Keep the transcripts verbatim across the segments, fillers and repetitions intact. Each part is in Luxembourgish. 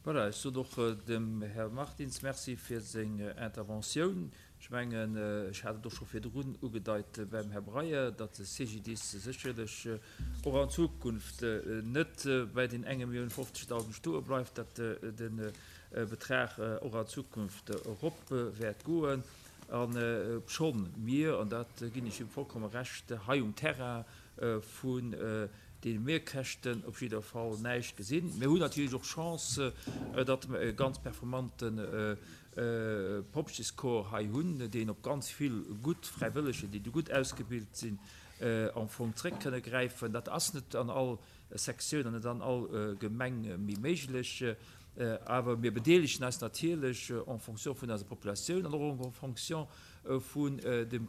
Voilà, ech sot och dem Här Martins Merci fir seng Interventioun. Ech mengen, ech hat et och scho virdrun ugedeit beim Här Breyer, datt de C G D I S sécherlech och an Zukunft net bei den enge Millioun fofzegdausend stoe bleift, datt de Betrag och an Zukunft erop wäert goen. An schonn mir, an dat ginn ech him vollkomme Recht, hei um Terrain vun deene Mehrkäschten op jidder Fall näischt gesinn. Mir hunn natierlech och Chance, datt mer e ganz performante Pompjeescorps hei hunn, deen op ganz vill gutt Fräiwëlleger, déi do gutt ausgebilt sinn, am Fong zréck kënne gräifen. Dat ass net an all Sektioun an net an all Gemeng méi méiglech. Awer mir bedeelegen eis natierlech en fonction vun eiser Populatioun an och en fonction vun dem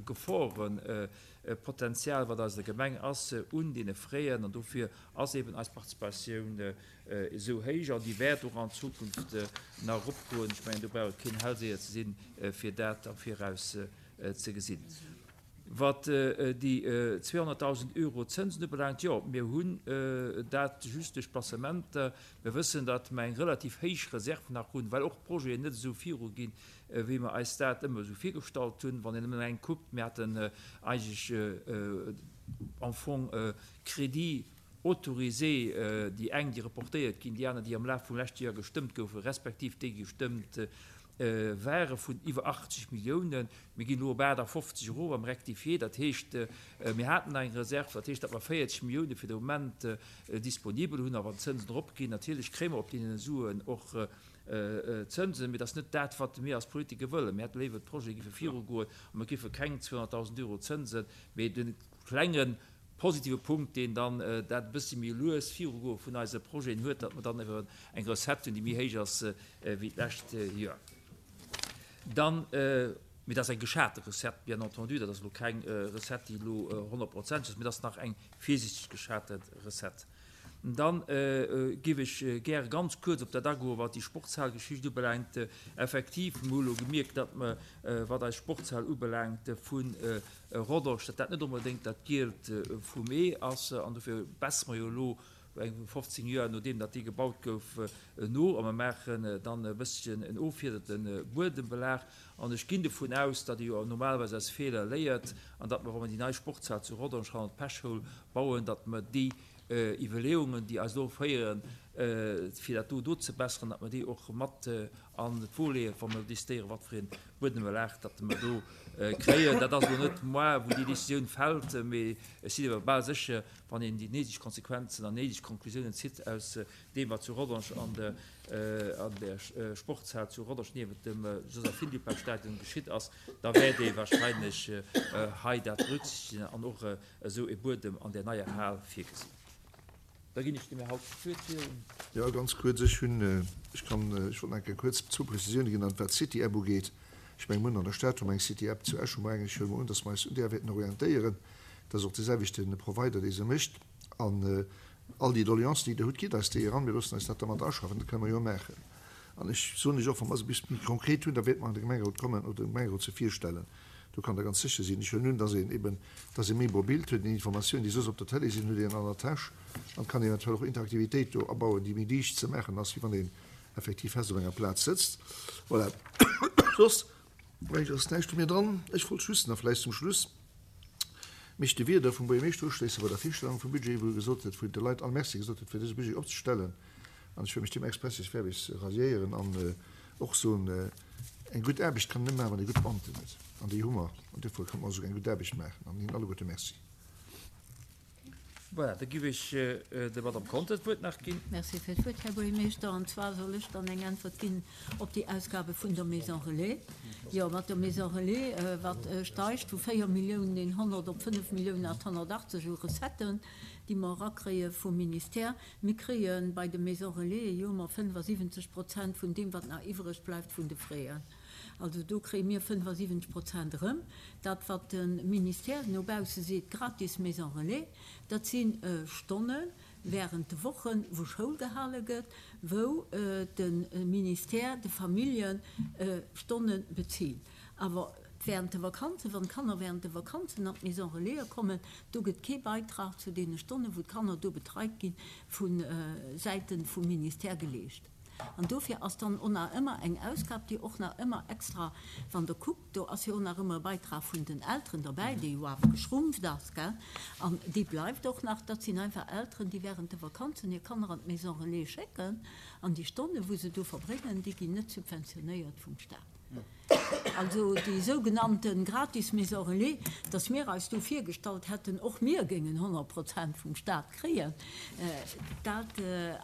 Geforepotenzial, wat eiser Gemeng ass, un deene Fräen. An dofir ass eben eis Participatioun esou héich an déi wäert och an Zukunft nach eropgoen. Ech mengen, do brauch et keen Hellseher ze sinn, fir dat am Viraus ze gesinn. Wat déi zweehonnertdausend Euro Zënsen ubelaangt, jo, mir hunn dat just duerch Placementer. Mir wëssen, datt mer eng relativ héich Reserv nach hunn, well och d'Projeten net esou viruginn, wéi mer eis dat ëmmer esou virgestallt hunn. Wann een nëmmen eng kuckt, mir haten eigentlech am Fong Crédits autorisés, déi eng, déi reportéiert ginn, déi aner, déi am Laf vum leschte Joer gestëmmt goufen, respektiv déi gestëmmt ware vun iwwer achtzeg Milliounen. Mir ginn elo op aachtafofzeg erof am Rectifié. Dat heescht, mir haten nach eng Reserv, dat heescht, datt mer véierzeg Millioune fir de Moment disponibel hunn. A wann d'Zënsen eropginn, natierlech kréie mer op deene Suen och Zënsen, mee dat ass net dat, wat mir als Politiker wëllen. Mir hätte léiwer, d'Projete géife virugoen a mir géife keng zweehonnertdausend Euro Zënsen, mee de klenge positive Punkt, deen dann dat e bëssi méi lues Virugoe vun eise Projeten huet, datt mer dann ewer eng Recette hunn, déi méi héich ass wéi d'lescht Joer. Dann, mee dat ass eng geschate Recette, bien entendu, dat ass elo keng Recette, déi elo honnertprozenteg ass, mee dat ass nach eng virsiichteg geschate Recette. Dann géif ech gäre ganz kuerz op dat agoen, wat déi Sportshalgeschicht ubelaangt. Effektiv, mir hu elo gemierkt, datt mer, wat eis Sportshal ubelaangt vu Rodange, datt dat net onbedéngt dat Gielt vum Ee ass. An dofir bessere mer jo elo eng fofzéng Joer, nodeem datt déi gebaut gouf, no a mer maachen dann e bësschen en offiederte Buedembelag. An ech ginn dovun aus, datt ee jo normalerweis aus Feeler léiert an datt mer, wa mer déi nei Sportshal zu Rodange hannert d'Pechschoul bauen, datt mer déi Iwwerleeungen, déi eis elo féieren, fir dat do do ze besseren, datt mer déi och mat an d'Wo leeën, wa mer decidéieren, wat fir ee Buedembelag datt mer do kréien. Dat ass elo net moi, wou déi Décisioun fält, mee ech sinn awer bal sécher, wann een déi néideg Konsequenzen an néideg Konklusiounen zitt aus deem, wat zu Rodange an der an der Sportshal zu Rodange niewent dem Joséphine Dupin-Stadion geschitt ass, da wäert ee wahrscheinlech hei dat berücksichtegen an och esou e Buedem an där neier Hal virgesinn. Da ginn ech dem Här Hauck d'Wuert fir. Jo, ganz kuerz. Ech hunn, ech kann, ech wollt nach eng Kéier kuerz zwou Prezisioune ginn, an wat d'City-App ugeet. Ech menge mir hunn an der Stad hu mer eng City-App, zu Esch hu mer eng. Ech huele mol un, datt mer eis un där wäerten orientéieren. Dat ass och de selwechte Provider, dee se mécht. An all déi Doleancen, déi Der hutt, gitt eis déi eran. Mir loossen eis dat da mat aschaffen. Dat kënne mer jo maachen. An ech soen lech och, wa mer se bis méi konkret hunn, da wäerte mer an de Gemengerot kommen oder dem Gemengerot se virstellen. Do kann Der ganz sécher sinn. Ech huelen un, dass een eben, dass ee méi mobilt huet, déi Informatiounen, déi soss op der Tëlee sinn, huet een an der Täsch an kann eventuell och Interaktivitéit do abauen, déi méi liicht ze maachen ass, wéi wann een effektiv fest op enger Plaz sëtzt. Voilà. Soss, mengen ech, ass näischt vu mir dran. Ech wollt just nach vläicht zum Schluss mech de Wierder vum Buergermeeschter uschléissen bei der Virstellung vum Budget, wou e gesot huet, wou en de Leit all Merci gesot huet, fir dëse Budget opzestellen. An ech wëll mech deem expressis verbis ralliéieren an och soen, eng gutt Aarbecht kann een nëmme maachen, wann ee gutt Beamten huet. An déi hu mer. An duerfir kënne mer esouguer eng gutt Aarbecht maachen. An hinnen alleguerte Merci. Voilà, da giff ech der Madame Conter d'Wuert nach ginn. Merci fir d'Wuert, Här Buergermeeschter. An zwar soll ech dann eng Äntwert ginn op déi Ausgabe vun der Maison Relais. Jo, mat der Maison Relais, wat steigt vu véier Milliounen eenhonnert op fënnef Milliounen achthonnertachtzeg u Recetten, déi mer erakréie vum Ministère. Mir kréie bei de Maisons Relais jo ëmmer fënnefasiwwenzeg Prozent vun deem, wat nach iwwreg bleift vun de Fräen. Also do kréie mir fënnefasiwwenzeg Prozent erëm. Dat, wat de Ministère no bausse seet, gratis Maison Relais, dat si Stonne während de Wochen, wou Schoul gehale gëtt, wou de Ministère de Famillje Stonne bezilt. Awer während de Vakanzen, wann d'Kanner während de Vakanzen an d'Maison Relaisen kommen, do gëtt kee Beitrag zu deene Stonnen, wou d'Kanner do betreit ginn, vu Säite vum Ministère geleescht. An dofir ass dann och nach ëmmer eng Ausgab, déi och nach ëmmer extra, wann Der kuckt, do ass jo och nach ëmmer e Beitrag vun den Elteren derbäi, dee jo awer geschrumpft ass, gell, an dee bleift och nach. Dat sinn einfach Elteren, déi während de Vakanzen hir Kanner an d'Maison Relais schécken, an déi Stonnen, wou se do verbréngen, déi ginn net subventionéiert vum Stat. Also déi sougenannte gratis Maison relais, dass mir eis do virgestallt hätten, och mir géingen honnert Prozent vum Stat kréien, dat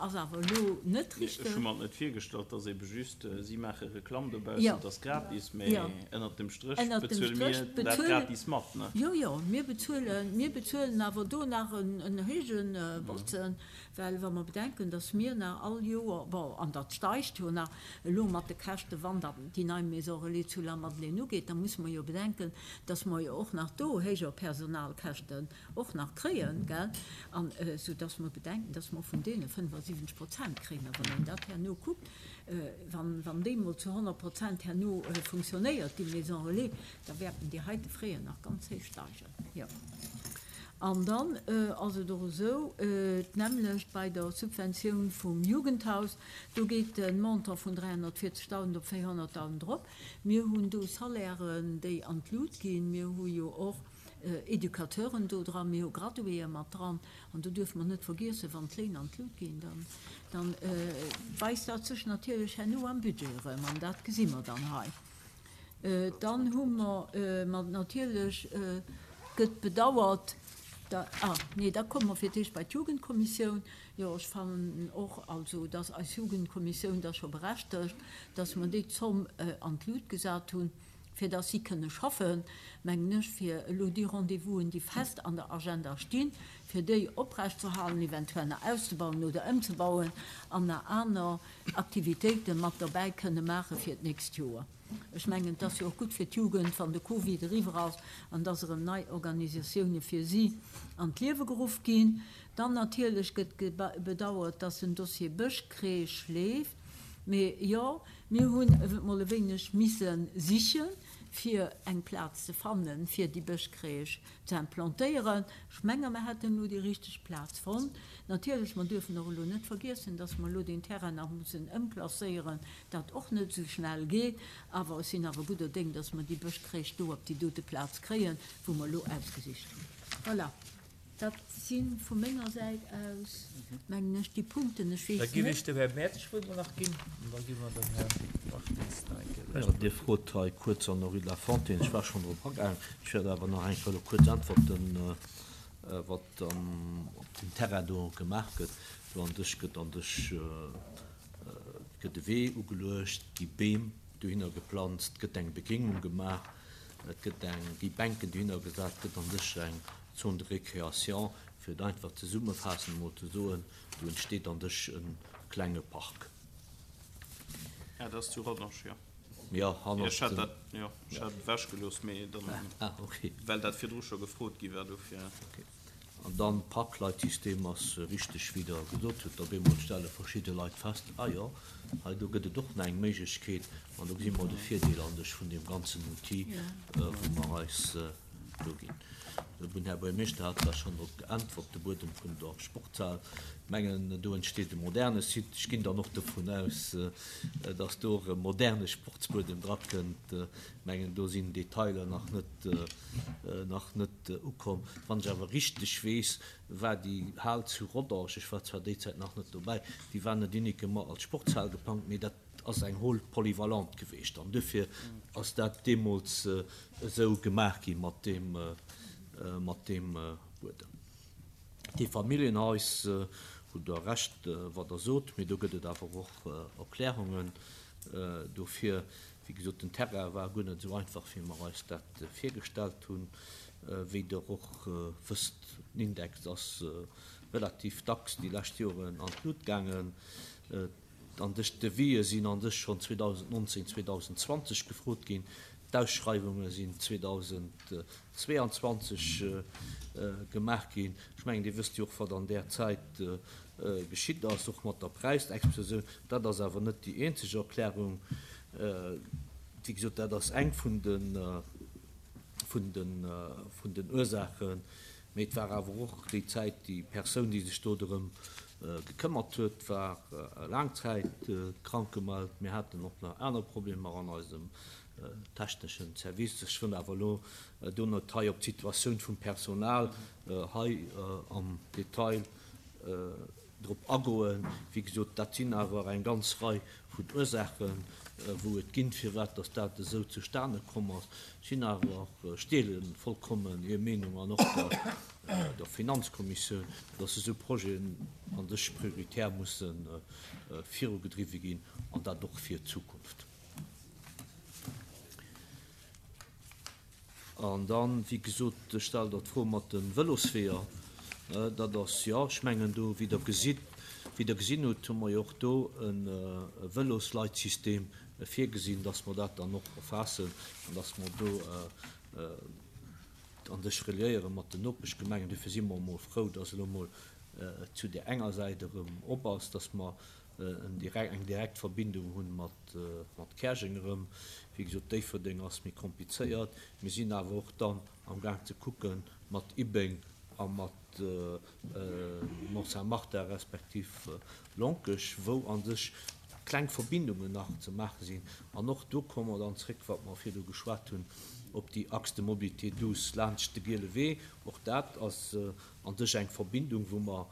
ass awer elo net richteg. Ech hu mer et net virgestallt, dass ebe just, si maache Reklamm dobaussen, et ass gratis, mä ënnert dem Stréch bezuele mir dat gratis mat, ne? Jo, jo, mir bezuelen, mir bezuelen awer do nach en héije Botzen. Well wa mer bedenken, dass mir nach all Joer, bon, an dat steigt jo nach elo mat de Käschte wann dann déi nei Maison relais zu Lamadelaine ugeet, da musse mer jo bedenken, dass mer jo och nach do héijer Personalkäschten och nach kréien, gell, an soudass mer bedenken, dass mer vun deene fënnefasiwwenzeg Prozent kréien. A wann een dat herno kuckt, wann, wann déi mol zu honnert Prozent herno funktionéiert, déi Maison relais, da wäerten déi heite Frais nach ganz héich steigen, jo. An dann ass et och esou, d'nämmlecht bei der Subventioun vum Jugendhaus, do geet de Montant vun dräihonnertvierzegdausend op véierhonnertdausend erop. Mir hunn do Salairen, déi an d'Lut ginn. Mir hu jo och Educateuren do dran, mir hu Graduéë mat dran. An do duerfe mer net vergiessen, wann d'Léin an d'Lut ginn, dann weist dat sech natierlech herno am Budget erëm. An dat gesi mer dann hei. Dann hu mer natierlech, gëtt bedauert, Da, ah, nee, da komme mer fir d'éischt bei d'Jugendkommissioun. Jo, ech fannen och, also, dass eis Jugendkommissioun da scho berechtegt, dass mer déi Zomm an d'Lut gesat hunn, fir dass si kënne schaffen, mengen ech, fir elo déi Rendez-vousen, déi fest an der Agenda stinn, fir déi oprechtzuerhalen, eventuell nach auszebauen oder ëmzebauen an nach aner Aktivitéite mat derbäi kënne maache fir d'nächst Joer. Ech mengen, et ass jo och gutt fir d'Jugend, wann de Covid eriwwer ass an dass erëm nei Organisatioune fir si an d'Liewe geruff ginn. Dann natierlech gëtt bedauert, dass den Dossier Bëschcrèche leeft. Mee jo, mir hunn emol e wéineg misse sichen, fir eng Plaz ze fannen, fir déi Bëschcrèche ze implantéieren. Ech menge mer hätten elo déi richteg Plaz fonnt. Natierlech, mer duerfen och elo net vergiessen, dass mer elo deen Terrain nach mussen ëmklasséieren, dat och net esou schnell geet. Awer ech sinn awer gudder Déng, dass mer déi Bëschcrèche do op déi dote Plaz kréien, wou mer elo ausgesicht hunn. Voilà, dat si vu menger Säit aus, mengen ech, déi Punkten. Ech Da weess géif net. ech dem Här Mertsch d'Wuert mol nach ginn an da gi mer dem Här Martins nach eng Kéier Jo, d'Wuert. Dir frot hei kuerz an der Rue de la Fontaine. Ech war schonn drop agaangen. Ech wäert awer nach eng Kéier elo kuerz äntwerten, wat op dem Terrain do gemaach gëtt. Do an sech gëtt an sech gëtt e Wee ugeluecht, gi Beem dohinner geplanzt, gëtt eng Begréngung gemaach, et gëtt eng, gi Bänken dohinner gesat, gëtt an sech eng Zone de récréation, fir et einfach zesummefaassend emol ze soen, do entsteet an sech e klenge Park. Ah, dat ass zu Rodange, jo. Jo, hannert Ech hat dem dat, jo, ech hat et ewechgelooss, mee dann, Ah, okay. well dat virdru scho gefrot gi war, dofir. Okay. An dann d'Parkleitsystem ass richteg, wéi Der gesot hutt, op eemol stelle verschidde Leit fest, ah jo, hei do gëtt et och nach eng Méiglechkeet, an do gesi mer de Virdeel an sech vun deem ganzen Outil, wou mer eis do ginn. Den Här Buergermeeschter hat da schonn drop geäntwert, de Buedem vun der Sportshal. Ech mengen, do entsteet e moderne Site. Ech ginn dann och dovun aus, dass do och e moderne Sportsbuedem drakënnt. Ech mengen, do sinn Detailer nach net, nach net ukomm. Wann ech awer richteg weess, war déi Hal zu Rodange, ech war zwar déi Zäit nach net dobäi, déi war net uniquement als Sportshal geplangt, mee dat ass eng Hall polyvalente geweecht. An duerfir ass dat deemools esou gemaach gi mat deem, mat deem Buedem. Déi Familljenhais, hutt Der Recht, wat Der sot, mee do gëtt et awer och Erklärungen dofir. Wéi gesot, den Terrain war guer net esou einfach, wéi mer eis dat virgestallt hunn. Wéi Der och wësst, den Index ass relativ dacks déi lescht Joren an d'Lut gaangen. An dës Devisë sinn an sech schonn zweedausendnonzéng, zweedausendzwanzeg gefrot ginn. D'Ausschreiwunge sinn zweedausendzweeanzwanzeg gemaach ginn. Ech mengen, Dir wësst jo och, wat an där Zäit geschitt ass, och mat der Präisexplosioun. Dat ass awer net déi eenzeg Erklärung. Wéi gesot, dat ass eng vun de vun den, vun den Ursaachen. Mee et war awer och déi Zäit, déi Persoun, déi sech do drëm gekëmmert huet, war laang Zäit krank gemellt. Mir haten och nach aner Problemer an eisem techneschen Service. Ech wëll awer elo do net hei op d'Situatioun vum Personal hei am Detail drop agoen. Wéi gesot, dat sinn awer eng ganz Rei vun Ursaachen, wou et ginn, firwat dass dat esou zustane komm ass. Ech sinn awer, ech deele vollkommen Är Meenung an och der der Finanzkommissioun, dass esou Projeten a sech prioritär musse virugedriwwe ginn, an dat och fir d'Zukunft. An dann, wéi gesot, stellt Der d'Fro mat de Vëlosweeër. Dat ass, jo, ech mengen do, wéi Der gesitt, wéi Der gesinn hutt, hu mer jo och do e Vëlosleitsystem virgesinn, dass mer dat dann och erfaassen an dass mer do an sech reliéiere mat den Nopeschgemengen. Dofir si mer emol frou, dass elo emol zu där enger Säit erëm op ass, dass mer eng direkt Verbindung hunn mat mat Käerjeng erëm. Wéi gesot, Déifferdeng ass méi komplizéiert. Mir sinn awer och dann am Gaang ze kucke mat Ibbeng a mat Mont-Saint-Martin respektiv Lonkech, wou a sech kleng Verbindungen nach ze maache sinn. An och do komme mer dann zréck, wat mer virdu geschwat hunn, op déi Axe de mobilité douce laanscht de Giele Wee. Och dat ass a sech eng Verbindung, wou mer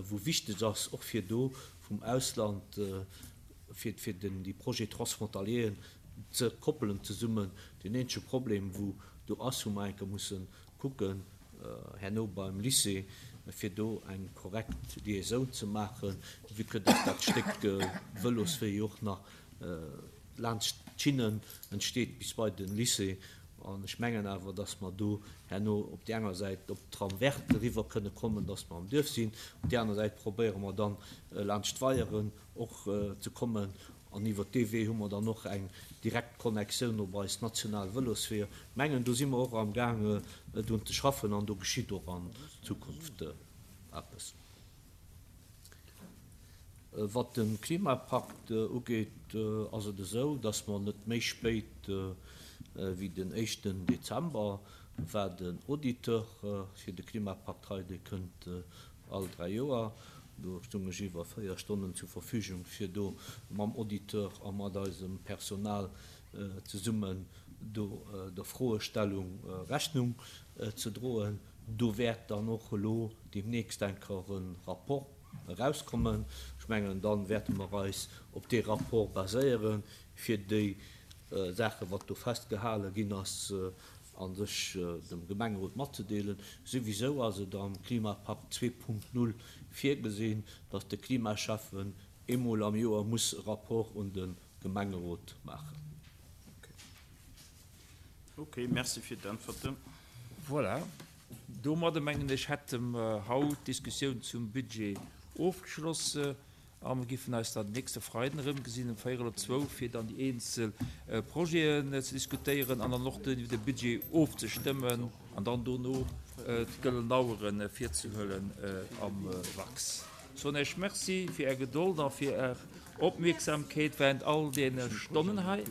wou wichteg ass, och fir do vum Ausland, fir fir den déi Projets transfrontalieren ze koppelen zesummen. Deen eenzege Problem, wou do ass, wou mer eng Kéier musse kucken herno beim Lycée, fir do eng korrekt Liaisoun ze maachen, vue que dass dat Stéck Vëloswee jo och nach laanscht d'Schinnen entsteet bis bei de Lycée. An ech mengen awer, dass mer do herno op déi enger Säit op d'Trame verte eriwwer kënne kommen, dass mer am Duerf sinn. Op déi aner Säit probéiere mer dann laanscht d'Weieren och ze kommen. An iwwert dee Wee hu mer dann och eng direkt Connexioun op eis national Vëlosweeër. Ech mengen, do si mer och amgaang drun ze schaffen an do geschitt och an Zukunft eppes. Wat de Klimapakt ugeet, ass et esou, dass mer net méi spéit wéi den éischten Dezember war den Auditeur fir de Klimapakt hei, dee kënnt all dräi Joer. Do stung ech iwwer véier Stonnen zur Verfügung, fir do mam Auditeur a mat eisem Personal zesummen do der Froestellung Rechnung ze droen. Do wäert dann och elo deemnächst eng Kéier e Rapport erauskommen. Ech mengen, da wäerte mer eis op dee Rapport baséieren, fir déi Saachen, wat do festgehale ginn ass, a sech dem Gemengerot matzedeelen. Souwisou ass et am Klimapakt zwee Punkt null virgesinn, datt de Klimaschäffen eemol am Joer muss e Rapport un de Gemengerot maachen. Ok, merci fir d'Äntwerten. Voilà, domadde mengen ech hätte mer haut d'Diskussioun zum Budget ofgeschloss a mer giffen eis dann nächste Freiden erëmgesinn um véierel op zwou, fir dann déi eenzel Projeten ze diskutéieren an dann och de Budget ofzestëmmen an dann dono d'gëllen Auere virzehuelen am Wachs. Soen Iech Merci fir Är Gedold a fir Är Opmierksamkeet während all deene Stonnen hei.